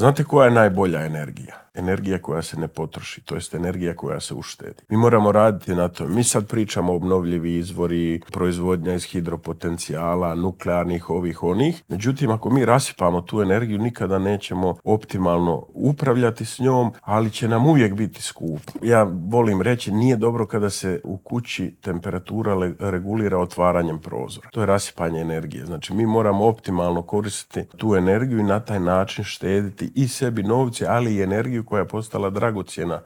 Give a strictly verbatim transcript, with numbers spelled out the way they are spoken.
Znate koja je najbolja energija? Energija koja se ne potroši, to jest energija koja se uštedi. Mi moramo raditi na to. Mi sad pričamo o obnovljivi izvori, proizvodnja iz hidropotencijala, nuklearnih ovih onih. Međutim, ako mi rasipamo tu energiju, nikada nećemo optimalno upravljati s njom, ali će nam uvijek biti skupo. Ja volim reći, nije dobro kada se u kući temperatura regulira otvaranjem prozora. To je rasipanje energije. Znači, mi moramo optimalno koristiti tu energiju i na taj način štediti i sebi novce, ali i energiju koja je postala dragocjena